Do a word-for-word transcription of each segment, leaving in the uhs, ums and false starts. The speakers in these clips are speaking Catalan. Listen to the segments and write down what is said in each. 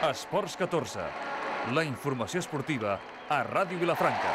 Esports catorze, la informació esportiva a Ràdio Vilafranca.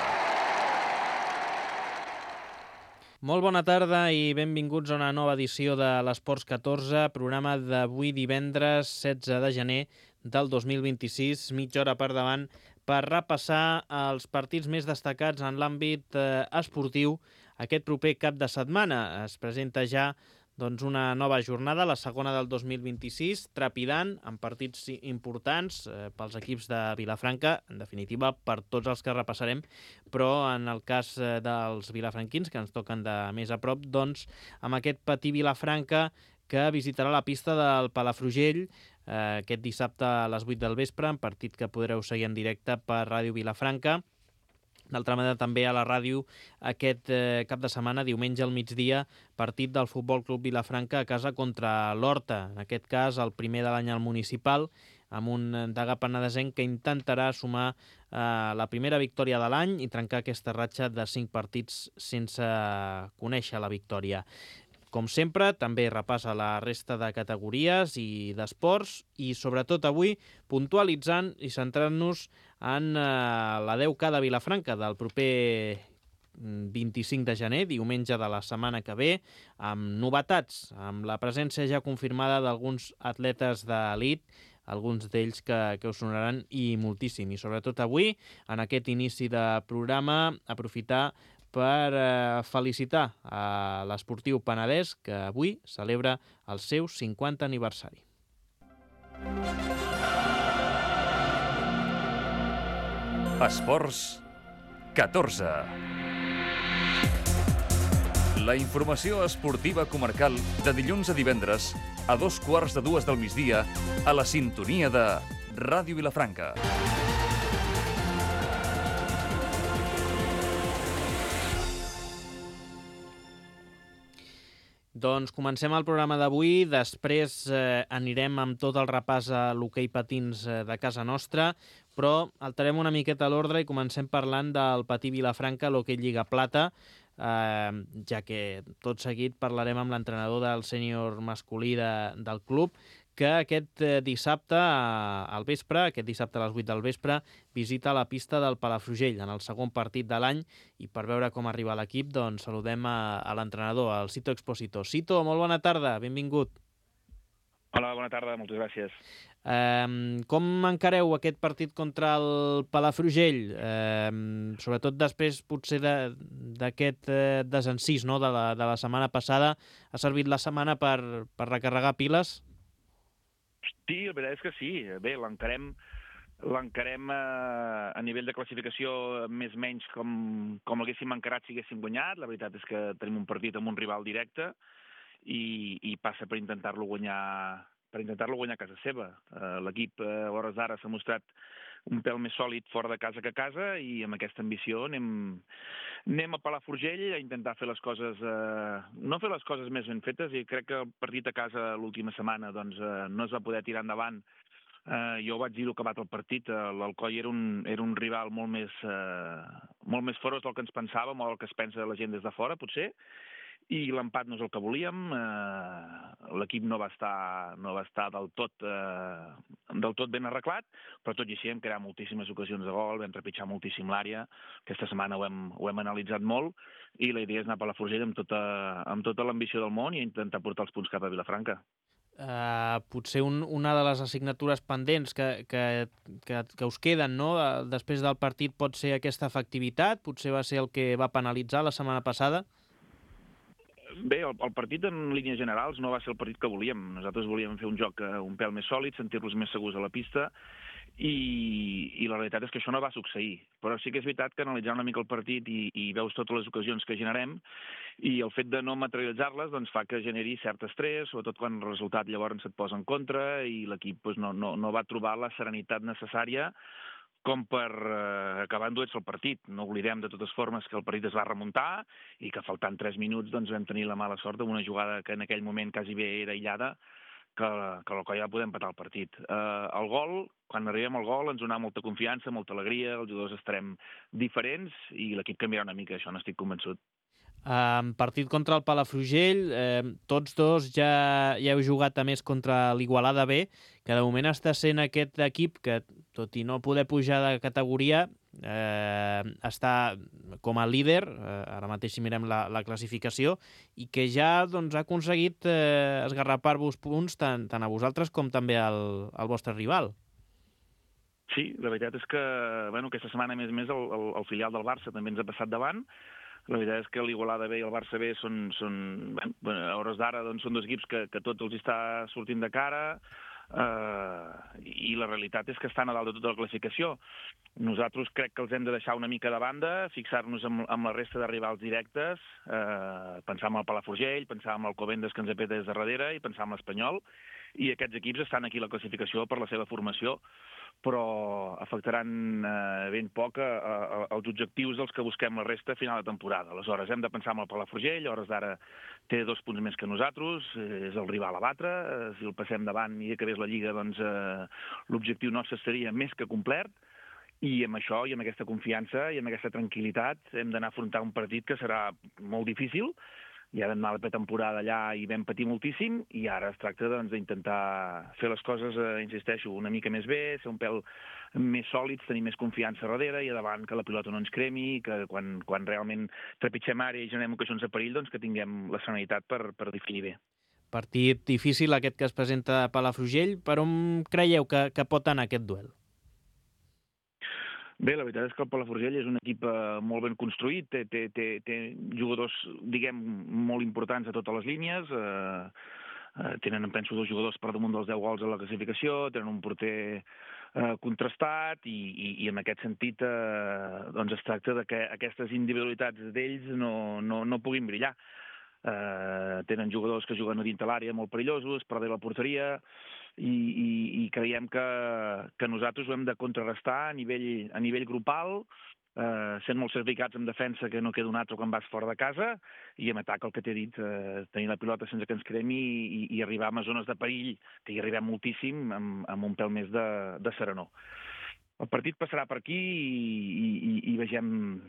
Molt bona tarda i benvinguts a una nova edició de l'Esports catorze, programa d'avui divendres setze de gener del dos mil vint-i-sis, mitja hora per davant, per repassar els partits més destacats en l'àmbit eh, esportiu aquest proper cap de setmana. Es presenta ja doncs, una nova jornada, la segona del dos mil vint-i-sis, trepidant, amb partits importants eh, pels equips de Vilafranca, en definitiva per tots els que repassarem, però en el cas eh, dels vilafranquins, que ens toquen de més a prop, doncs amb aquest Patí Vilafranca que visitarà la pista del Palafrugell eh, aquest dissabte a les vuit del vespre, en partit que podreu seguir en directe per Ràdio Vilafranca. D'altra banda, també a la ràdio aquest eh, cap de setmana, diumenge al migdia, partit del Futbol Club Vilafranca a casa contra l'Horta. En aquest cas, el primer de l'any al municipal, amb un Degà Penedesenc que intentarà sumar eh, la primera victòria de l'any i trencar aquesta ratxa de cinc partits sense conèixer la victòria. Com sempre, també repassa la resta de categories i d'esports i, sobretot avui, puntualitzant i centrant-nos en eh, la deu K de Vilafranca del proper vint-i-cinc de gener, diumenge de la setmana que ve, amb novetats, amb la presència ja confirmada d'alguns atletes d'elit, alguns d'ells que, que us sonaran i moltíssim. I sobretot avui, en aquest inici de programa, aprofitar per eh, felicitar a l'esportiu penedès que avui celebra el seu cinquantè aniversari. Esports catorze. La informació esportiva comarcal de dilluns a divendres a dos quarts de dues del migdia a la sintonia de Ràdio Vilafranca. Doncs comencem el programa d'avui, després eh, anirem amb tot el repàs a l'hoquei patins eh, de casa nostra, però alterem una miqueta l'ordre i comencem parlant del Patí Vilafranca, l'hoquei Lliga Plata, eh, ja que tot seguit parlarem amb l'entrenador del sènior masculí de, del club, que aquest dissabte al vespre, aquest dissabte a les vuit del vespre, visita la pista del Palafrugell en el segon partit de l'any, i per veure com arriba l'equip, doncs saludem a, a l'entrenador, el Cito Expósito. Cito, molt bona tarda, benvingut. Hola, bona tarda, moltes gràcies. Eh, com encareu aquest partit contra el Palafrugell? Eh, sobretot després, potser, d'aquest eh, desencís, no?, de, la, de la setmana passada. Ha servit la setmana per, per recarregar piles? Sí, la veritat és que sí. Bé, l'encarem l'encarem eh, a nivell de classificació més o menys com, com l'haguéssim encarat si haguéssim guanyat. La veritat és que tenim un partit amb un rival directe i, i passa per intentar-lo guanyar per intentar-lo guanyar a casa seva. Eh, L'equip eh, a hores d'ara s'ha mostrat un pèl més sòlid fora de casa que a casa i amb aquesta ambició anem, anem a Palafrugell a intentar fer les coses, eh, no fer les coses més ben fetes, i crec que el partit a casa l'última setmana doncs, eh, no es va poder tirar endavant. Eh, jo vaig dir-ho acabat el partit, eh, l'Alcoi era un, era un rival molt més, eh, molt més ferotge del que ens pensàvem o del que es pensa la gent des de fora, potser, i l'empat no és el que volíem. Eh, l'equip no va estar, no va estar del, tot, eh, del tot ben arreglat, però tot i així hem creat moltíssimes ocasions de gol, vam trepitjar moltíssim l'àrea. Aquesta setmana ho hem, ho hem analitzat molt i la idea és anar per la Forgell amb tota, amb tota l'ambició del món i intentar portar els punts cap a Vilafranca. Uh, potser un, una de les assignatures pendents que, que, que, que us queden, no?, després del partit pot ser aquesta efectivitat, potser va ser el que va penalitzar la setmana passada? Bé, el, el partit en línies generals no va ser el partit que volíem. Nosaltres volíem fer un joc un pèl més sòlid, sentir-los més segurs a la pista, i, i la realitat és que això no va succeir. Però sí que és veritat que analitzant una mica el partit i, i veus totes les ocasions que generem, i el fet de no materialitzar-les doncs, fa que generi cert estrès, sobretot quan el resultat llavors et posa en contra i l'equip doncs, no, no, no va trobar la serenitat necessària com per eh, acabar enduets el partit. No oblidem de totes formes que el partit es va remuntar i que faltant tres minuts doncs, vam tenir la mala sort d'una jugada que en aquell moment quasi bé era aïllada, que, que l'Alcoi va poder empatar el partit. Eh, el gol, quan arribem al gol, ens donarà molta confiança, molta alegria, els jugadors estarem diferents i l'equip canviarà una mica, això n'estic convençut. En partit contra el Palafrugell, eh, tots dos ja, ja heu jugat a més contra l'Igualada B, que de moment està sent aquest equip que, tot i no poder pujar de categoria, eh, està com a líder, eh, ara mateix si mirem la, la classificació, i que ja doncs, ha aconseguit eh, esgarrapar-vos punts tant, tant a vosaltres com també al, al vostre rival. Sí, la veritat és que bueno, aquesta setmana, a més a més, el, el, el filial del Barça també ens ha passat davant. La veritat és que l'Igualada B i el Barça B són, són bueno, a hores d'ara doncs, són dos equips que, que tots els està sortint de cara, eh, i la realitat és que estan a dalt de tota la classificació. Nosaltres crec que els hem de deixar una mica de banda, fixar-nos amb, amb la resta de rivals directes, eh, pensar en el Palafrugell, pensar en el Alcobendas que ens ha fet des de darrere i pensar en l'Espanyol, i aquests equips estan aquí a la classificació per la seva formació, però afectaran eh, ben poc a, a, als objectius dels que busquem la resta a final de temporada. Aleshores, hem de pensar en el Palafrugell, a hores d'ara té dos punts més que nosaltres, és el rival a batre, eh, si el passem davant i acabés la Lliga, doncs eh, l'objectiu nostre seria més que complet, i amb això, i amb aquesta confiança, i amb aquesta tranquil·litat, hem d'anar a afrontar un partit que serà molt difícil. Ja vam anar a la pretemporada allà i vam patir moltíssim, i ara es tracta doncs, d'intentar fer les coses, eh, insisteixo, una mica més bé, ser un pèl més sòlids, tenir més confiança darrere i a davant que la pilota no ens cremi, que quan, quan realment trepitgem àrea i generem ocasions de perill, doncs que tinguem la serenitat per, per definir bé. Partit difícil aquest que es presenta a Palafrugell. Per on creieu que, que pot anar aquest duel? Bé, la veritat és que el Palafrugell és un equip eh, molt ben construït, té, té, té, té jugadors, diguem, molt importants a totes les línies, eh, eh, tenen, penso, dos jugadors per damunt dels deu gols a la classificació, tenen un porter eh, contrastat, i, i, i en aquest sentit eh, doncs es tracta de que aquestes individualitats d'ells no, no, no puguin brillar. Eh, tenen jugadors que juguen a dintre l'àrea molt perillosos, per darrere la porteria, i, i, i creiem que, que nosaltres ho hem de contrarrestar a nivell, a nivell grupal, eh, sent molt certificats en defensa, que no queda un altre quan vas fora de casa, i en atac, el que t'he dit, eh, tenir la pilota sense que ens cremi i, i arribar a zones de perill, que hi arribem moltíssim, amb, amb un pèl més de, de serenor. El partit passarà per aquí i, i, i vegem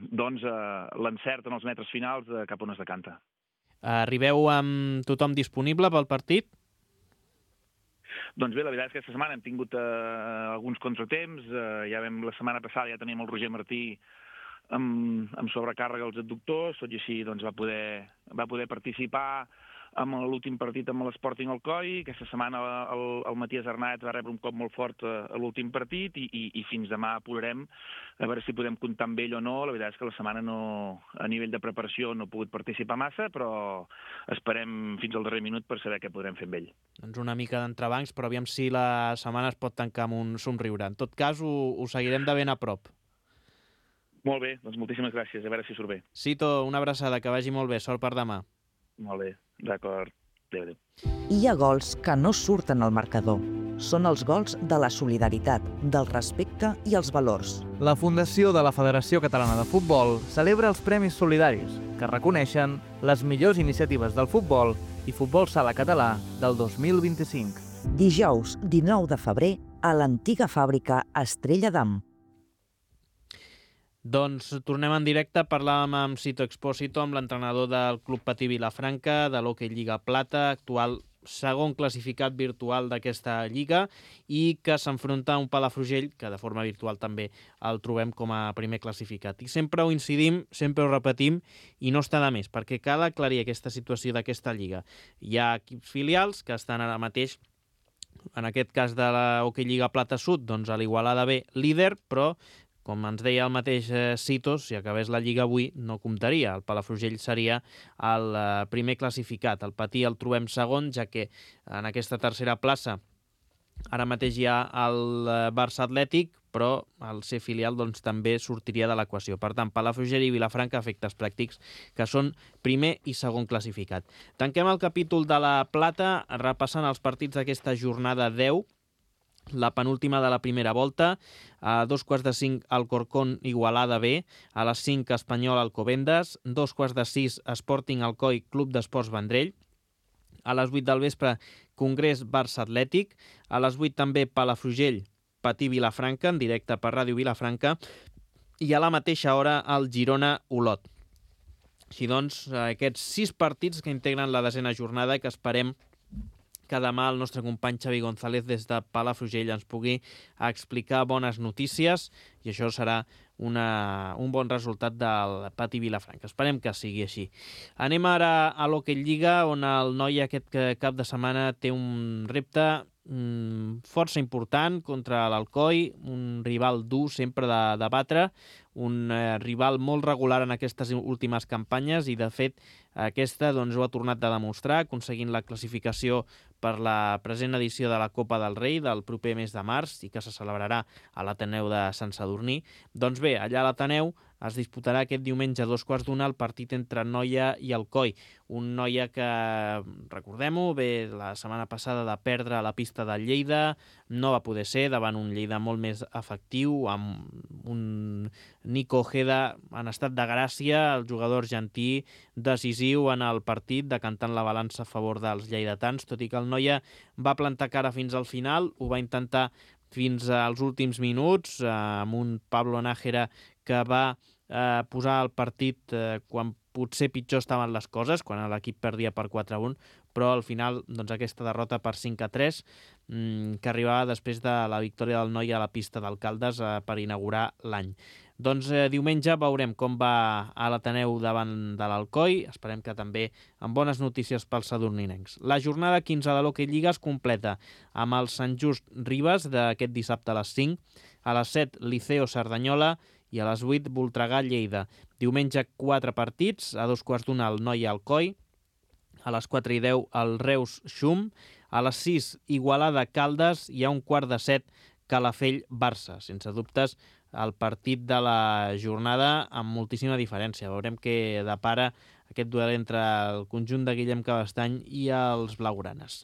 doncs, eh, l'encert en els metres finals de cap on es decanta. Arribeu amb tothom disponible pel partit? Doncs bé, la veritat és que aquesta setmana hem tingut eh, alguns contratemps. Eh, ja vam, la setmana passada ja teníem el Roger Martí amb, amb sobrecàrrega als adductors, tot i així doncs, va, poder, va poder participar amb l'últim partit amb l'Sporting Alcoi. Aquesta setmana el, el Matías Arnaiz va rebre un cop molt fort a, a l'últim partit, i, i, i fins demà apurarem a veure si podem comptar amb ell o no. La veritat és que la setmana no, a nivell de preparació no he pogut participar massa, però esperem fins al darrer minut per saber què podrem fer amb ell. Doncs una mica d'entrebancs, però aviam si la setmana es pot tancar amb un somriure. En tot cas, ho, ho seguirem de ben a prop. Molt bé, doncs moltíssimes gràcies, a veure si surt bé. Cito, una abraçada, que vagi molt bé, sort per demà. Molt bé, d'acord. Adéu, adéu. Hi ha gols que no surten al marcador. Són els gols de la solidaritat, del respecte i els valors. La Fundació de la Federació Catalana de Futbol celebra els Premis Solidaris, que reconeixen les millors iniciatives del futbol i futbol sala català del dos mil vint-i-cinc. Dijous, dinou de febrer, a l'antiga fàbrica Estrella d'Am. Doncs tornem en directe, parlàvem amb Cito Expósito, amb l'entrenador del Club Patí Vilafranca, de l'Hockey Lliga Plata, actual segon classificat virtual d'aquesta lliga, i que s'enfronta a un Palafrugell que de forma virtual també el trobem com a primer classificat. I sempre ho incidim, sempre ho repetim, i no està de més, perquè cal aclarir aquesta situació d'aquesta lliga. Hi ha equips filials que estan ara mateix, en aquest cas de la Hockey Lliga Plata Sud, doncs a l'Igualada B líder, però com ens deia el mateix eh, Citos, si acabés la Lliga avui no comptaria. El Palafrugell seria el eh, primer classificat. El Patí el trobem segon, ja que en aquesta tercera plaça ara mateix hi ha el eh, Barça Atlètic, però el ser filial doncs, també sortiria de l'equació. Per tant, Palafrugell i Vilafranca, efectes pràctics, que són primer i segon classificat. Tanquem el capítol de la Plata repassant els partits d'aquesta jornada deu, la penúltima de la primera volta. A dos quarts de cinc Alcorcón Igualada B, a les cinc Espanyol Alcobendas, dos quarts de sis Sporting Alcoi Club d'Esports Vendrell, a les vuit del vespre Congrés Barça Atlètic, a les vuit també Palafrugell Patí Vilafranca, en directe per Ràdio Vilafranca, i a la mateixa hora el Girona Olot. Així doncs, aquests sis partits que integren la desena jornada i que esperem que demà el nostre company Xavi González des de Palafrugell ens pugui explicar bones notícies i això serà una, un bon resultat del Pati Vilafranca. Esperem que sigui així. Anem ara a l'Hockey Lliga, on el noi aquest cap de setmana té un repte mmm, força important contra l'Alcoi, un rival dur sempre de, de batre, un eh, rival molt regular en aquestes últimes campanyes i, de fet, aquesta doncs, ho ha tornat a demostrar, aconseguint la classificació per la present edició de la Copa del Rei del proper mes de març i que se celebrarà a l'Ateneu de Sant Sadurní. Doncs bé, allà a l'Ateneu es disputarà aquest diumenge a dos quarts d'una el partit entre Noia i Alcoi. Un Noia que, recordem-ho, ve la setmana passada de perdre a la pista de Lleida, no va poder ser davant un Lleida molt més efectiu, amb un Nico Ojeda en estat de gràcia, el jugador argentí decisiu en el partit, decantant la balança a favor dels lleidatans, tot i que el Noia va plantar cara fins al final, ho va intentar fins als últims minuts, eh, amb un Pablo Nájera que va eh, posar el partit eh, quan potser pitjor estaven les coses, quan l'equip perdia per quatre a un, però al final doncs, aquesta derrota per cinc a tres mmm, que arribava després de la victòria del Noia a la pista d'Alcaldes eh, per inaugurar l'any. Doncs eh, diumenge veurem com va a l'Ateneu davant de l'Alcoi, esperem que també amb bones notícies pels sadurninencs. La jornada quinze de l'Hockey Lliga es completa amb el Sant Just Ribes d'aquest dissabte a les cinc, a les set Liceo Cerdanyola i a les vuit Voltregà Lleida. Diumenge quatre partits, a dos quarts d'una el Noia Alcoi, a les quatre i deu el Reus Xum, a les sis Igualada Caldes i a un quart de set Calafell Barça. Sense dubtes el partit de la jornada amb moltíssima diferència. Veurem què depara aquest duel entre el conjunt de Guillem Cabestany i els blaugranes.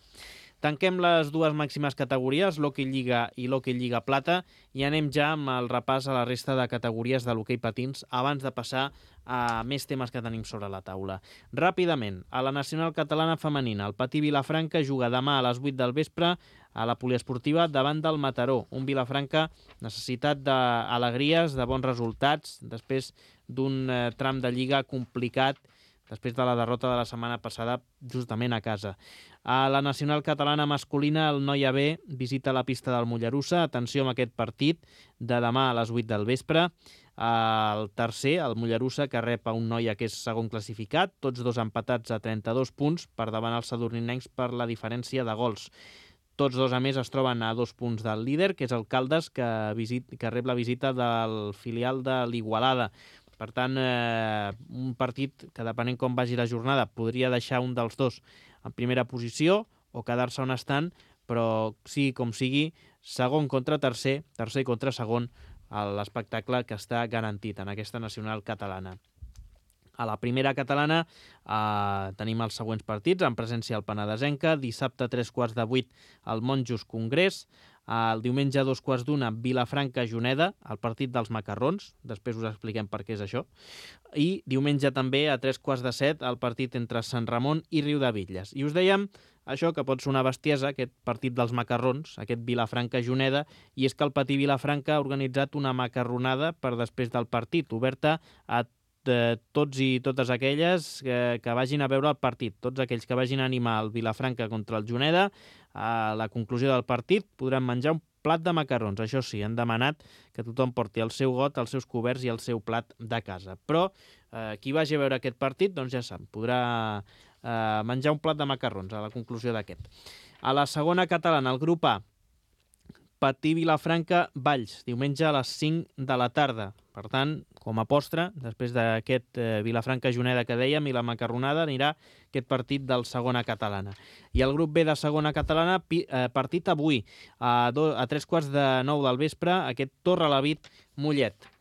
Tanquem les dues màximes categories, l'Hockey Lliga i l'Hockey Lliga Plata, i anem ja amb el repàs a la resta de categories de l'hoquei patins abans de passar a més temes que tenim sobre la taula. Ràpidament, a la Nacional Catalana Femenina, el Patí Vilafranca juga demà a les vuit del vespre a la poliesportiva davant del Mataró. Un Vilafranca necessitat d'alegries, de bons resultats, després d'un eh, tram de lliga complicat, després de la derrota de la setmana passada justament a casa. A la Nacional Catalana Masculina, el Noia B visita la pista del Mollerussa. Atenció amb aquest partit de demà a les vuit del vespre. El tercer, el Mollerussa, que rep a un Noia que és segon classificat, tots dos empatats a trenta-dos punts per davant els sadurninencs per la diferència de gols. Tots dos, a més, es troben a dos punts del líder, que és el Caldes, que, visit, que rep la visita del filial de l'Igualada. Per tant, eh, un partit que, depenent com vagi la jornada, podria deixar un dels dos en primera posició o quedar-se on estan, però sigui com sigui, segon contra tercer, tercer contra segon, l'espectacle que està garantit en aquesta nacional catalana. A la primera catalana eh, tenim els següents partits, en presència al Penedesenca, dissabte a tres quarts de vuit al Monjos Congrés, el diumenge a dos quarts d'una Vilafranca-Juneda, el partit dels macarrons, després us expliquem per què és això, i diumenge també a tres quarts de set el partit entre Sant Ramon i Riudebitlles. I us dèiem això, que pot sonar bestiesa, aquest partit dels macarrons, aquest Vilafranca-Juneda, i és que el Patí Vilafranca ha organitzat una macarronada per després del partit, oberta a de tots i totes aquelles que, que vagin a veure el partit, tots aquells que vagin a animar el Vilafranca contra el Juneda, a la conclusió del partit podran menjar un plat de macarrons. Això sí, han demanat que tothom porti el seu got, els seus coberts i el seu plat de casa. Però eh, qui vagi a veure aquest partit, doncs ja sap, podrà eh, menjar un plat de macarrons a la conclusió d'aquest. A la segona catalana, el grup A, Patí Vilafranca Valls, diumenge a les cinc de la tarda. Per tant, com a postre, després d'aquest eh, Vilafranca-Juneda que dèiem i la macarronada, anirà aquest partit del segona catalana. I el grup B de segona catalana, pi, eh, partit avui, a, do, a tres quarts de nou del vespre, aquest Torrelavit Mollet.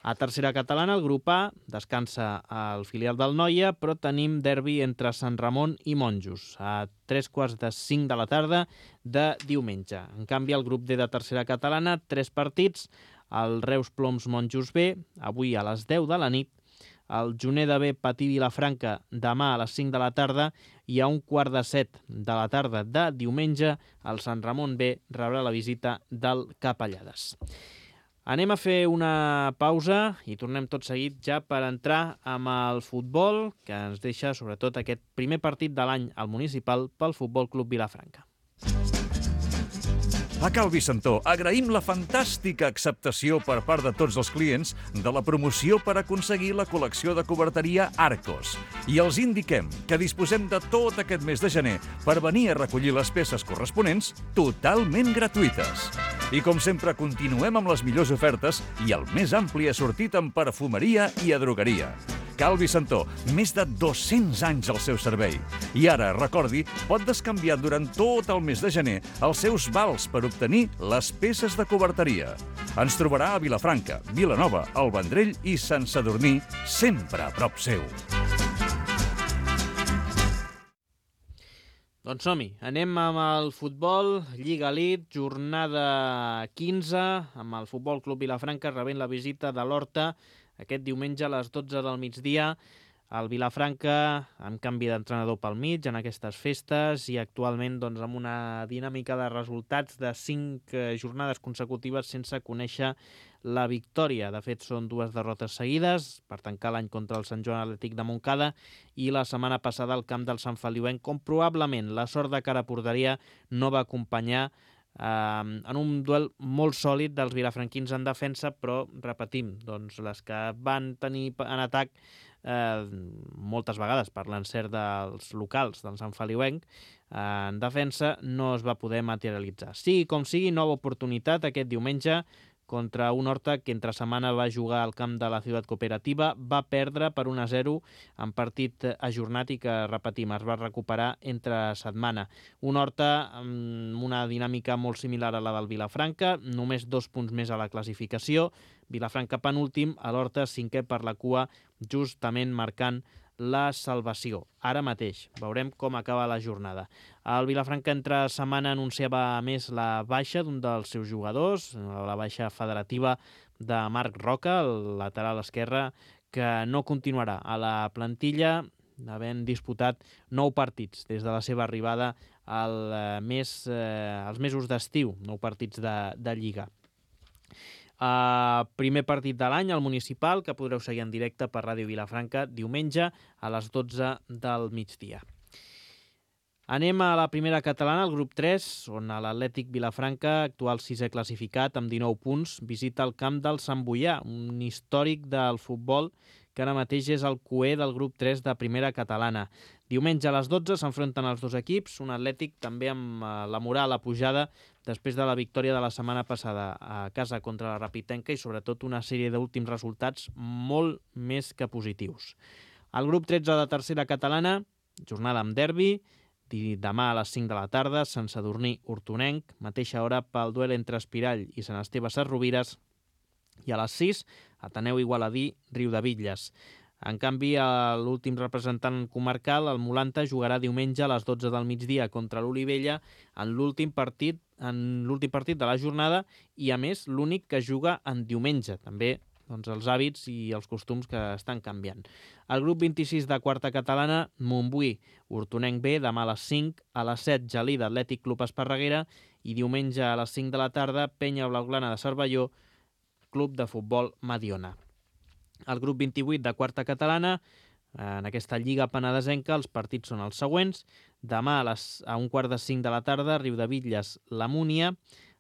A tercera catalana, el grup A descansa al filial del Noia, però tenim derbi entre Sant Ramon i Monjos, a tres quarts de cinc de la tarda de diumenge. En canvi, el grup D de tercera catalana, tres partits, el Reus Ploms Monjos B, avui a les deu de la nit, el Juneda B Patí Vilafranca demà a les cinc de la tarda i a un quart de set de la tarda de diumenge el Sant Ramon B rebrà la visita del Capellades. Anem a fer una pausa i tornem tot seguit ja per entrar amb el futbol, que ens deixa sobretot aquest primer partit de l'any al municipal pel Futbol Club Vilafranca. A Cal Vicentó agraïm la fantàstica acceptació per part de tots els clients de la promoció per aconseguir la col·lecció de coberteria Arcos. I els indiquem que disposem de tot aquest mes de gener per venir a recollir les peces corresponents totalment gratuïtes. I com sempre continuem amb les millors ofertes i el més ampli assortit en perfumeria i a drogueria. Cal Vicentó, més de dos-cents anys al seu servei. I ara, recordi, pot descanviar durant tot el mes de gener els seus vals per obtenir les peces de coberteria. Ens trobarà a Vilafranca, Vilanova, el Vendrell i Sant Sadurní, sempre a prop seu. Doncs som-hi, anem amb el futbol, Lliga Elite, jornada quinze, amb el Futbol Club Vilafranca rebent la visita de l'Horta aquest diumenge a les dotze del migdia. El Vilafranca amb canvi d'entrenador pel mig en aquestes festes i actualment doncs, amb una dinàmica de resultats de cinc jornades consecutives sense conèixer la victòria. De fet, són dues derrotes seguides per tancar l'any contra el Sant Joan Atlètic de Montcada i la setmana passada al camp del Sant Feliuenc, com probablement la sort de cara a porteria no va acompanyar eh, en un duel molt sòlid dels vilafranquins en defensa, però repetim, doncs, les que van tenir en atac Eh, moltes vegades per l'encert dels locals del Sant Feliuenc, eh, en defensa no es va poder materialitzar. Sigui com sigui, nova oportunitat aquest diumenge contra un Horta que entre setmana va jugar al camp de la Ciutat Cooperativa, va perdre per un a zero en partit ajornat i que, repetim, es va recuperar entre setmana. Un Horta amb una dinàmica molt similar a la del Vilafranca, només dos punts més a la classificació, Vilafranca penúltim, a l'Horta cinquè per la cua, justament marcant la salvació. Ara mateix veurem com acaba la jornada. El Vilafranca entre setmana anunciava més la baixa d'un dels seus jugadors, la baixa federativa de Marc Roca, el lateral esquerre, que no continuarà a la plantilla, havent disputat nou partits des de la seva arribada al mes, eh, als mesos d'estiu, nou partits de, de Lliga. Uh, primer partit de l'any, al municipal, que podreu seguir en directe per Ràdio Vilafranca diumenge a les dotze del migdia. Anem a la primera catalana, el grup tres, on l'Atlètic Vilafranca, actual sisè classificat amb dinou punts, visita el camp del Sant Boià, un històric del futbol que ara mateix és el cuer del grup tres de primera catalana. Diumenge a les dotze s'enfronten els dos equips, un Atlètic també amb la moral a pujada després de la victòria de la setmana passada a casa contra la Rapitenca i sobretot una sèrie d'últims resultats molt més que positius. El grup tretze de tercera catalana, jornada amb derbi, demà a les cinc de la tarda, Sant Sadurní Hortonenc, mateixa hora pel duel entre Espirall i Sant Esteve Sesrovires, i a les sis, Ateneu Igualadí, Riudebitlles. En canvi, l'últim representant comarcal, el Molanta, jugarà diumenge a les dotze del migdia contra l'Olivella en l'últim partit, en l'últim partit de la jornada i, a més, l'únic que juga en diumenge. També doncs, els hàbits i els costums que estan canviant. El grup vint-i-sis de quarta catalana, Montbui, Hortonenc B, demà a les cinc, a les set, Gelida, Atlètic Club Esparreguera i diumenge a les cinc de la tarda, Penya Blaugrana de Cervelló, Club de Futbol Mediona. El grup vint-i-vuit de quarta catalana, en aquesta Lliga Penedesenca, els partits són els següents. Demà a, les, a un quart de cinc de la tarda, Riudebitlles, la Múnia.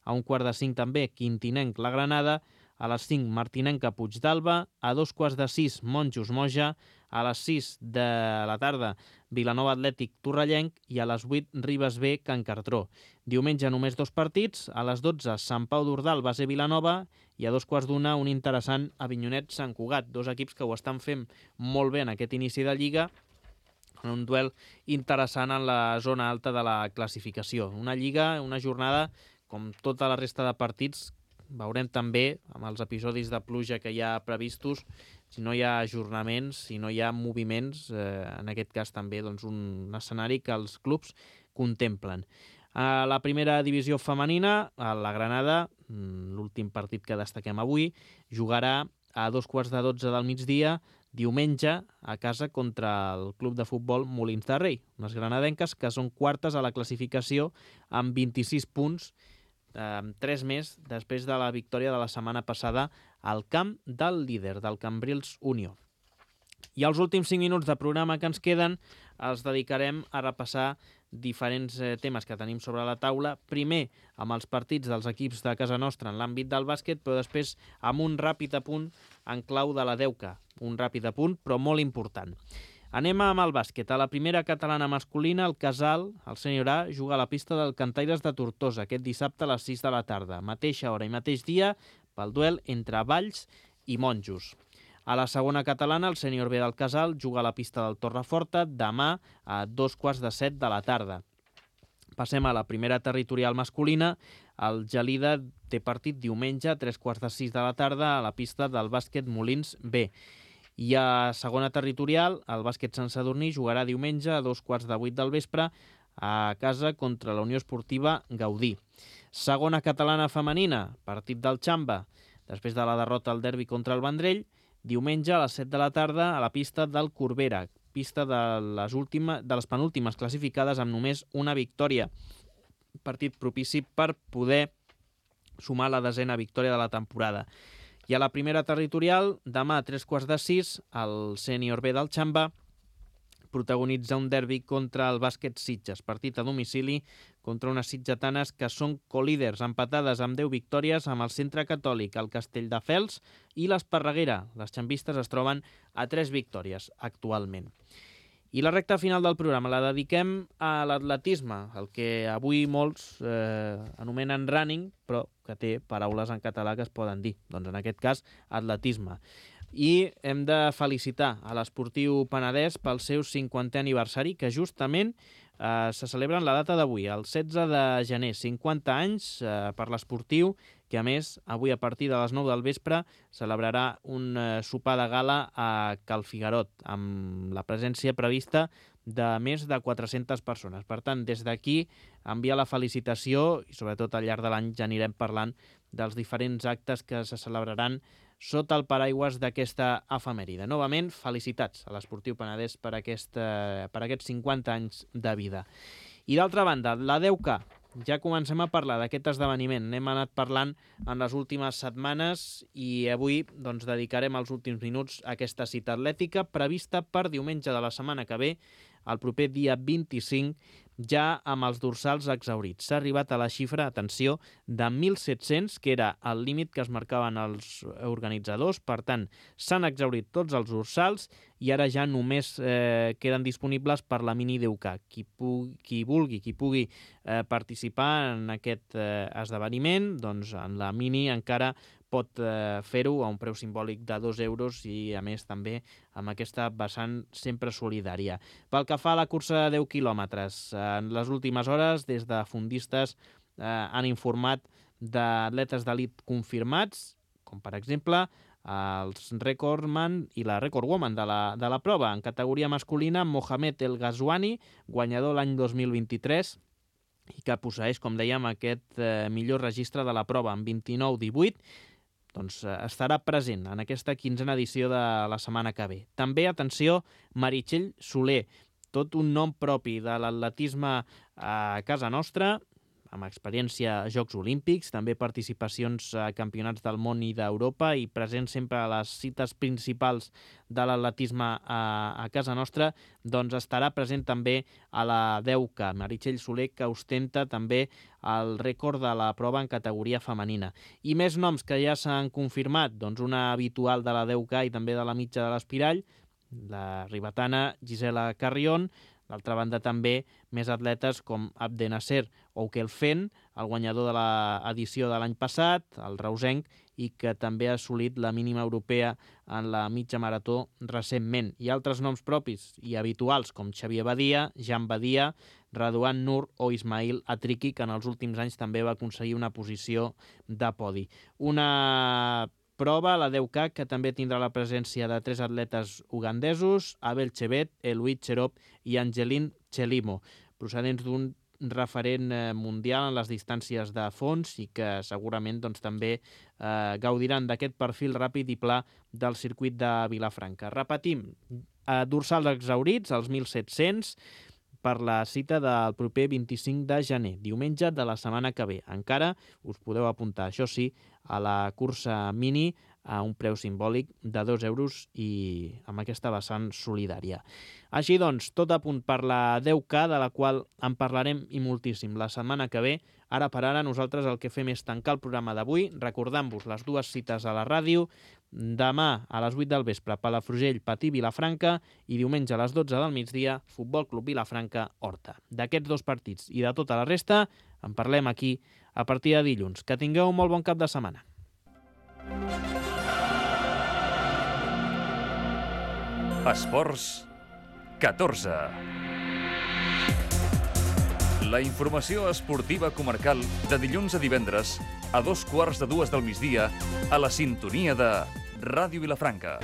A un quart de cinc també, Quintinenc, la Granada. A les cinc, Martinenca, Puigdàlber. A dos quarts de sis, Monjos, Moja. A les sis de la tarda, Vilanova Atlètic, Torrellenc. I a les vuit, Ribes B, Can Cartró. Diumenge només dos partits. A les dotze, Sant Pau d'Ordal, Base Vilanova. I a dos quarts d'una, un interessant Avinyonet-Sant Cugat. Dos equips que ho estan fent molt bé en aquest inici de Lliga, en un duel interessant en la zona alta de la classificació. Una Lliga, una jornada, com tota la resta de partits, veurem també, amb els episodis de pluja que hi ha previstos, si no hi ha ajornaments, si no hi ha moviments, eh, en aquest cas també doncs, un escenari que els clubs contemplen. A la primera divisió femenina, a la Granada, l'últim partit que destaquem avui, jugarà a dos quarts de dotze del migdia, diumenge, a casa contra el club de futbol Molins de Rei. Unes granadenques que són quartes a la classificació amb vint-i-sis punts, eh, tres més després de la victòria de la setmana passada al camp del líder, del Cambrils Unió. I els últims cinc minuts de programa que ens queden els dedicarem a repassar diferents eh, temes que tenim sobre la taula. Primer, amb els partits dels equips de casa nostra en l'àmbit del bàsquet, però després amb un ràpid apunt en clau de la Deuca. Un ràpid apunt, però molt important. Anem amb el bàsquet. A la primera catalana masculina, el Casal, el sènior A, juga a la pista del Cantaires de Tortosa aquest dissabte a les sis de la tarda. Mateixa hora i mateix dia pel duel entre Valls i Monjos. A la segona catalana, el sènior B del Casal juga a la pista del Torreforta demà a dos quarts de set de la tarda. Passem a la primera territorial masculina. El Gelida té partit diumenge a tres quarts de sis de la tarda a la pista del bàsquet Molins B. I a segona territorial, el bàsquet Sant Sadurní jugarà diumenge a dos quarts de vuit del vespre a casa contra la Unió Esportiva Gaudí. Segona catalana femenina, partit del Xamba, després de la derrota al derbi contra el Vendrell, diumenge a les set de la tarda a la pista del Corbera, pista de les, última, de les penúltimes classificades amb només una victòria. Partit propici per poder sumar la desena victòria de la temporada. I a la primera territorial, demà a tres quarts de sis, el sènior B del Xamba protagonitza un derbi contra el bàsquet Sitges, partit a domicili contra unes sitgetanes que són colíders, empatades amb deu victòries amb el Centre Catòlic, el Castelldefels i l'Esparreguera. Les xambistes es troben a tres victòries actualment. I la recta final del programa la dediquem a l'atletisme, el que avui molts eh, anomenen running, però que té paraules en català que es poden dir. Doncs en aquest cas, atletisme. I hem de felicitar a l'Esportiu Penedès pel seu cinquantè aniversari, que justament eh, se celebra en la data d'avui, el setze de gener. cinquanta anys eh, per l'Esportiu, que a més, avui a partir de les nou del vespre, celebrarà un eh, sopar de gala a Cal Figarot, amb la presència prevista de més de quatre-centes persones. Per tant, des d'aquí envia la felicitació i sobretot al llarg de l'any ja anirem parlant dels diferents actes que se celebraran sota el paraigües d'aquesta efemèride. Novament, felicitats a l'Esportiu Penedès per, aquesta, per aquests cinquanta anys de vida. I d'altra banda, la deu K. Ja comencem a parlar d'aquest esdeveniment. N'hem anat parlant en les últimes setmanes i avui doncs, dedicarem els últims minuts a aquesta cita atlètica prevista per diumenge de la setmana que ve, el proper dia vint-i-cinc, ja amb els dorsals exhaurits. S'ha arribat a la xifra, atenció, de mil set-cents, que era el límit que es marcaven els organitzadors. Per tant, s'han exhaurit tots els dorsals i ara ja només eh, queden disponibles per la mini deu K. Qui, pugui, qui vulgui, qui pugui eh, participar en aquest eh, esdeveniment, doncs en la mini encara pot eh, fer-ho a un preu simbòlic de dos euros i, a més, també amb aquesta vessant sempre solidària. Pel que fa a la cursa de deu quilòmetres, en les últimes hores, des de fundistes eh, han informat d'atletes d'elit confirmats, com per exemple els recordman i la recordwoman de la, de la prova. En categoria masculina, Mohamed El Ghazouani, guanyador l'any dos mil vint-i-tres, i que posseeix, com dèiem, aquest eh, millor registre de la prova, amb vint-i-nou divuit, doncs estarà present en aquesta quinzena edició de la setmana que ve. També, atenció, Meritxell Soler, tot un nom propi de l'atletisme a casa nostra, amb experiència a Jocs Olímpics, també participacions a campionats del món i d'Europa i present sempre a les cites principals de l'atletisme a, a casa nostra, doncs estarà present també a la deu K. Meritxell Soler, que ostenta també el rècord de la prova en categoria femenina. I més noms que ja s'han confirmat, doncs una habitual de la deu K i també de la mitja de l'Espirall, la ribetana Gisela Carrion. D'altra banda, també més atletes com Abdenasser o Kelfen, el guanyador de l'edició de l'any passat, el reusenc, i que també ha assolit la mínima europea en la mitja marató recentment. I altres noms propis i habituals com Xavier Badia, Jan Badia, Raduan Nur o Ismail Atriki, que en els últims anys també va aconseguir una posició de podi. Una prova, la deu K, que també tindrà la presència de tres atletes ugandesos, Abel Chebet, Eloïd Cherop i Angeline Chelimo, procedents d'un referent mundial en les distàncies de fons i que segurament doncs, també eh, gaudiran d'aquest perfil ràpid i pla del circuit de Vilafranca. Repetim, eh, dorsals exhaurits, els mil set-cents, per la cita del proper vint-i-cinc de gener, diumenge de la setmana que ve. Encara us podeu apuntar, això sí, a la cursa mini a un preu simbòlic de dos euros i amb aquesta vessant solidària. Així doncs, tot a punt per la deu K, de la qual en parlarem i moltíssim la setmana que ve. Ara per ara nosaltres el que fem és tancar el programa d'avui, recordant-vos les dues cites a la ràdio, demà a les vuit del vespre Palafrugell, Patí, Vilafranca i diumenge a les dotze del migdia Futbol Club Vilafranca, Horta. D'aquests dos partits i de tota la resta en parlem aquí a partir de dilluns. Que tingueu un molt bon cap de setmana. Esports catorze. La informació esportiva comarcal de dilluns a divendres a dos quarts de dues del migdia a la sintonia de Ràdio Vilafranca.